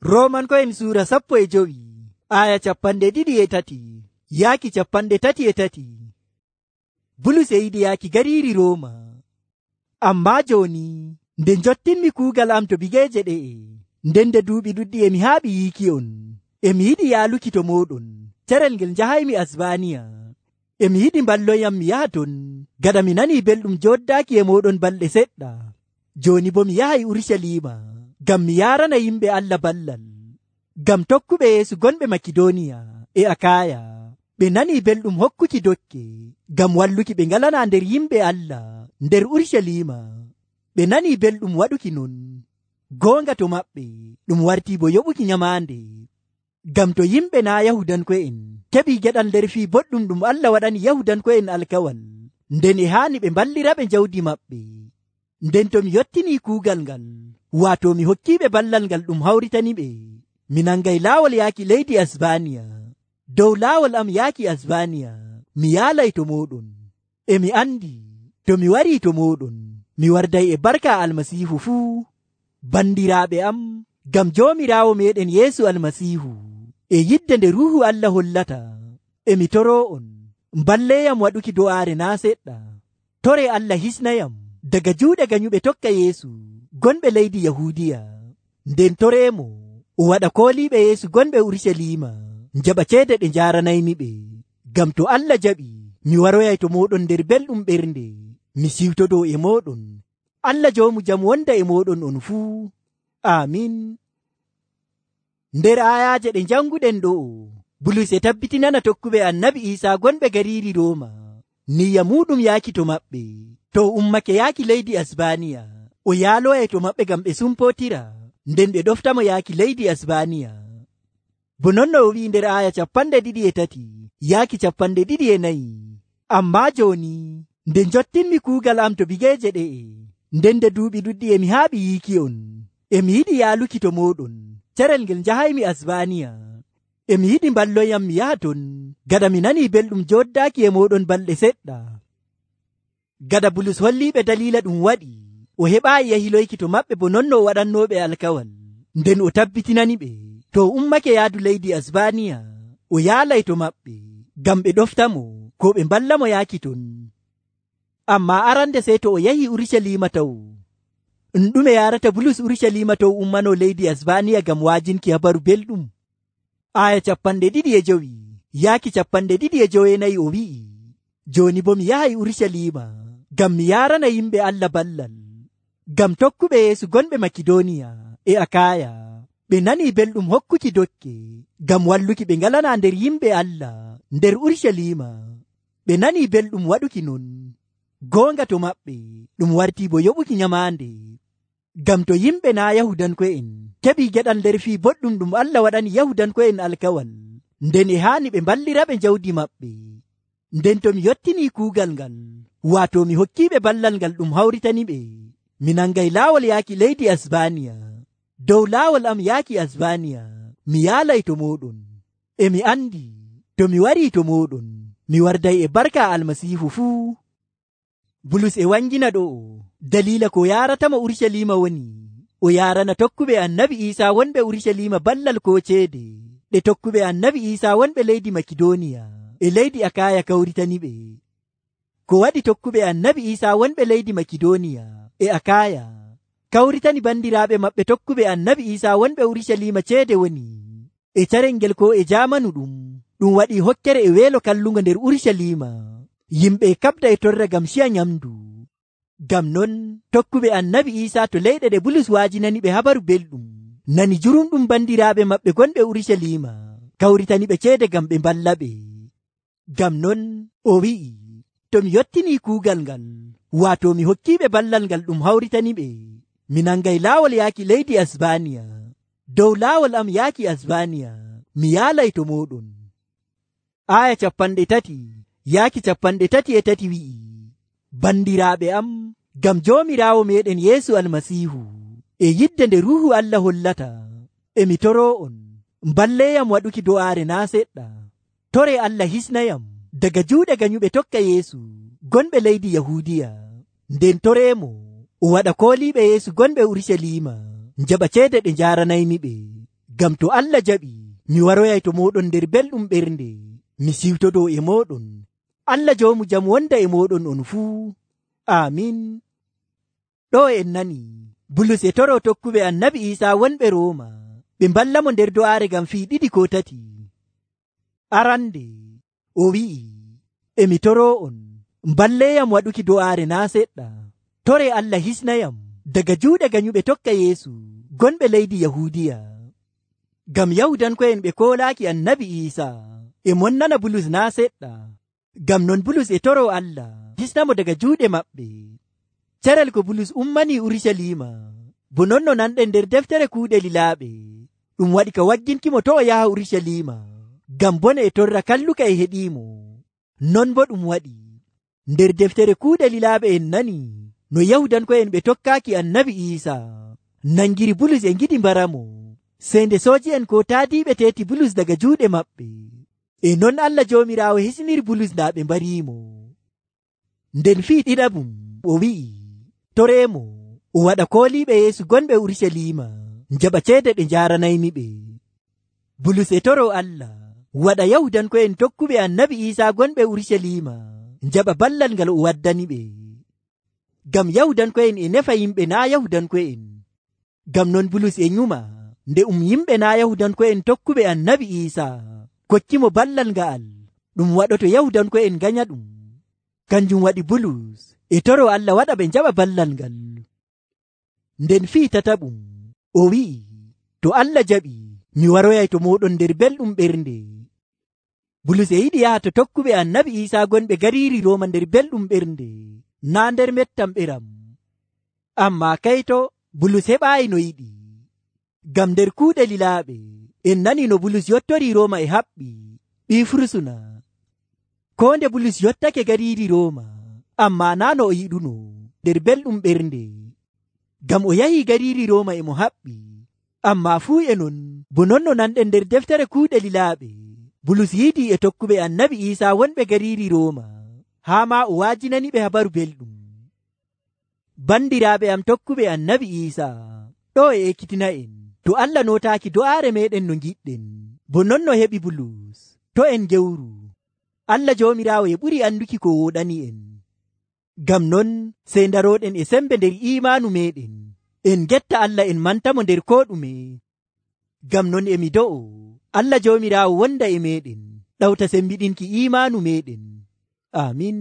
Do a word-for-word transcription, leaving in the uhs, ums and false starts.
Roomanko'en suura sappo e jowi aya capanɗe ɗiɗi e tati yaaki capanɗe tati e tati. Bulus e yiɗi yaaki gariiri Rooma. Ammaa jooni nde njottinmi kuugal am to bigeeje ɗe'e, nden nde duuɓi ɗuɗɗi emi haaɓi yiiki'on, emi yiɗi yaaluki to mooɗon carel ngel njahaymi Asbaaniya. Emi yiɗi mballoyam mi yaha ton, gaɗa mi nanii belɗum jooddaaki e mooɗon balɗe seɗɗa. Jooni bo mi yahay Urucaliima ngam mi yaarana yimɓe Allah ballal, ngam tokkuɓe Yeesu gonɓe Makidooniya e Akaaya. Ɓe nanii belɗum hokkuki dokke ngam walluki ɓe ngalanaa nder yimɓe Allah nder Urucaliima. Ɓe nanii belɗum waɗuki non. Goonga to maɓɓe ɗum wartii bo yoɓuki nyamaande, ngam to yimɓe naa Yahudanko'en keɓii geɗal nder fii boɗɗum ɗum Allah waɗani Yahudanko'en alkawal, nden e haani ɓe mballiraɓe jawdi maɓɓe. Nden to mi yottinii kuugal ngal, waato mi hokkiiɓe ballal ngal ɗum hawritaniɓe, mi nangay laawol yaaki leydi Asbaaniya. Dow laawol am yaaki Asbaaniya mi yaalay to mooɗon. E mi andi to mi warii to mooɗon, mi warday e barka Almasiihu fuu. Bandiraaɓe am, ngam Joomiraawo meeɗen Yeesu Almasiihu e yidde nde Ruuhu Allah hollata, e mi toroo'on mballeeyam waɗuki do'aare naa seɗɗa. Tore Allah hisnayam daga juuɗe ganyuɓe tokka Yeesu gonɓe leydi Yahuudiya. Nden toreemo o waɗa kooliiɓe Yeesu gonɓe Urucaliima njaɓa ceede ɗe njaaranaymiɓe. Ngam to Allah jaɓi mi waroyay to mooɗon nder belɗum ɓernde, mi siwtodoo e mooɗon. Allah joomu jam wonda e mooɗon on fuu. Aamin. Nder ayaaje ɗe janguɗen ɗo'o, Bulus e tabbitinana tokkuɓe Annabi Iisaa gonɓe gariiri Rooma niyya muɗum yaaki to maɓɓe. To ummake yaaki leydi Asbaaniya, o yaaloyay to maɓɓe ngam ɓe sumpootira, nden ɓe ɗoftamo yaaki leydi Asbaaniya. Bo non no o wi'i nder aya capanɗe ɗiɗi e tati yaaki capanɗe ɗiɗi e nayi. Ammaa jooni nde njottinmi kuugal am to bigeeje ɗe'e, nden nde duuɓi ɗuɗɗi emi haaɓi yiiki'on, emi yiɗi yaaluki to mooɗon carel ngel njahaymi Asbaaniya. Emi yiɗi mballoyam mi yaha ton, gaɗa mi nanii belɗum jooddaaki e mooɗon balɗe seɗɗa. Gaɗa Bulus holliiɓe daliila ɗum waɗi, o heɓaayi yahiloyki to maɓɓe bo non no o waɗannooɓe alkawal. Nden o tabbitinaniɓe to o ummake yaadu leydi Asbaaniya, o yaalay to maɓɓe ngam ɓe ɗoftamo ko ɓe mballamo yaaki ton. Ammaa arande sey to o yahi Urucaliima taw. Ɗum ɗume yaarata Bulus Urucaliima to ummanoo leydi Asbaaniya ngam waajinki habaru belɗum? Aya capanɗe ɗiɗi e jowi yaaki capanɗe ɗiɗi e joweenayi o wi'i, jooni bo mi yahay Urucaliima ngam mi yaarana yimɓe Allah ballal, ngam tokkuɓe Yeesu gonɓe Makidooniya e Akaaya. Ɓe nanii belɗum hokkuki dokke ngam walluki ɓe ngalanaa nder yimɓe Allah nder Urucaliima. Ɓe nanii belɗum waɗuki non. Goonga to maɓɓe ɗum wartii bo yoɓuki nyamaande, ngam to yimɓe naa Yahudanko'en keɓii geɗal nder fii boɗɗum ɗum Allah waɗani Yahudanko'en alkawal, nden e haani ɓe mballiraɓe jawdi maɓɓe. Nden to mi yottinii kuugal ngal, waato mi hokkiiɓe ballal ngal ɗum hawritaniɓe, mi nangay laawol yaaki leydi Asbaaniya. Dow laawol am yaaki Asbaaniya mi yaalay to mooɗon. E mi andi to mi warii to mooɗon, mi warday e barka Almasiihu fuu. Bulus e wangina ɗo'o daliila ko yaaratamo Urucaliima woni, o yaarana tokkuɓe Annabi Iisaa wonɓe Urucaliima ballal ko ceede ɗe tokkuɓe Annabi Iisaa wonɓe leydi Makidooniya e leydi Akaaya kawritaniɓe. Ko waɗi tokkuɓe Annabi Iisaa wonɓe leydi Makidooniya e Akaaya kawritani bandiraaɓe maɓɓe tokkuɓe Annabi Iisaa wonɓe Urucaliima ceede woni, e carel ngel ko e jaamanu ɗum, ɗum waɗi hokkere e weelo kallungo nder Urucaliima. Yimɓe kaɓda e torra ngam ciya nyamdu. Ngam non tokkuɓe Annabi Iisaa to leyɗe ɗe Bulus waajinaniɓe habaru belɗum nani jurumɗum bandiraaɓe maɓɓe gonɓe Urucaliima kawritaniɓe ceede ngam ɓe mballaɓe. Ngam non o wi'i, to mi yottinii kuugal ngal, waato mi hokkiiɓe ballal ngal ɗum hawritaniɓe, mi nangay laawol yaaki leydi Asbaaniya. Dow laawol am yaaki Asbaaniya mi yaalay to mooɗon. Aya capanɗe tati yaaki capanɗe tati e tati wi'i, bandiraaɓe am, ngam Joomiraawo meeɗen Yeesu Almasiihu e yidde nde Ruuhu Allah hollata, e mi toroo'on mballeeyam waɗuki do'aare naa seɗɗa. Tore Allah hisnayam daga juuɗe ganyuɓe tokka Yeesu gonɓe leydi Yahuudiya. Nden toreemo o waɗa kooliiɓe Yeesu gonɓe Urucaliima njaɓa ceede ɗe njaaranaymiɓe, Ngam to Allah jaɓi, mi waroyay to moɗon nder belɗum ɓernde, mi siwtodo e moɗon. Allah joomu jam wonda e moɗon on fuu. Amin. Ɗo en nani Bulus e toro tokkuɓe annabi Iisa wonɓe Rooma ɓe mballamo nder do'aare ngam fii ɗiɗi ko tati. Arande o wi'i, emi toro on, mballeyam waɗuki do'aare naa seɗɗa. Tore Allah hisnayam daga juuɗe ganyuɓe tokka Yeesu gonɓe leydi Yahuudiya. Ngam Yahudanko'en ɓe koolaaki annabi Iisa e mon nana Bulus naa seɗɗa. Ngam non Bulus e toro Allah hisnamo daga juuɗe maɓɓe. Carel ko Bulus ummani Urusalima, bo non no nanɗen nder deftere kuuɗe lilaaɓe, ɗum waɗi ka wagginkimo to o yaha Urusalima, ngam bone e torra kalluka e heɗiimo. Non bo ɗum waɗi nder deftere kuuɗe lilaaɓe en nani no Yahudanko'en ɓe tokkaaki annabi Iisa nangiri Bulus e ngiɗi mbaramo, sey nde sooji'en ko taadiiɓe teeti Bulus daga juuɗe maɓɓe. E non Allah Joomiraawo hisniri Bulus ndaa ɓe mbariimo. Nden fii ɗiɗaɓum o wi'i toreemo o waɗa kooliiɓe Yeesu gonɓe Urusalima njaɓa ceede ɗe njaaranaymiɓe. Bulus e toro Allah waɗa Yahudanko'en tokkuɓe annabi Iisa gonɓe Urusalima njaɓa ballal ngal o waddaniɓe. Ngam Yahudanko'en e nefa yimɓe naa Yahudanko'en. Ngam non Bulus e nyuma nde um yimɓe naa Yahudanko'en tokkuɓe annabi Iisa kokkimo ballal nga'al ɗum waɗoto Yahudanko'en ganya ɗum. Kanjum waɗi Bulus e toro Allah waɗa ɓe njaɓa ballal ngal. Nden fii tataɓum o wi'i, to Allah jaɓi, mi waroyay to moɗon nder belɗum ɓernde. Bulus e yiɗi yaha to tokkuɓe annabi Iisa gonɓe gariiri Rooma nder belɗum ɓernde, naa nder mettam ɓeram. Amma kayto Bulus heɓaayi no yiɗi. Ngam nder kuuɗe lilaaɓe en nani no Bulus yottori Rooma e haɓɓi ɓii fursuna. Ko nde Bulus yottake gariiri Rooma, amma naa no o yiɗuno nder belɗum ɓernde. Ngam o yahi gariiri Rooma e mo haɓɓi, amma fuu e non bo non no nanɗen nder deftere kuuɗe lilaaɓe, Bulus yiidi e tokkuɓe annabi Iisa wonɓe gariiri Rooma, haa ma o waajinaniɓe habaru belɗum. Bandiraaɓe am tokkuɓe annabi Iisa, ɗo e ekkitina en, to Allah nootaaki do'aare meɗen no giɗɗen, bo non no heɓi Bulus, to en gewru. Allah Joomiraawo e ɓuri anduki ko woɗani en. Ngam non sey daroɗen e sembe nder imaanu meɗen, en getta Allah en mantamo nder ko ɗume. Ngam non emi do'o Allah Joomiraawo wonda e meɗen, ɗawta sembiɗinki imaanu meɗen. Amin.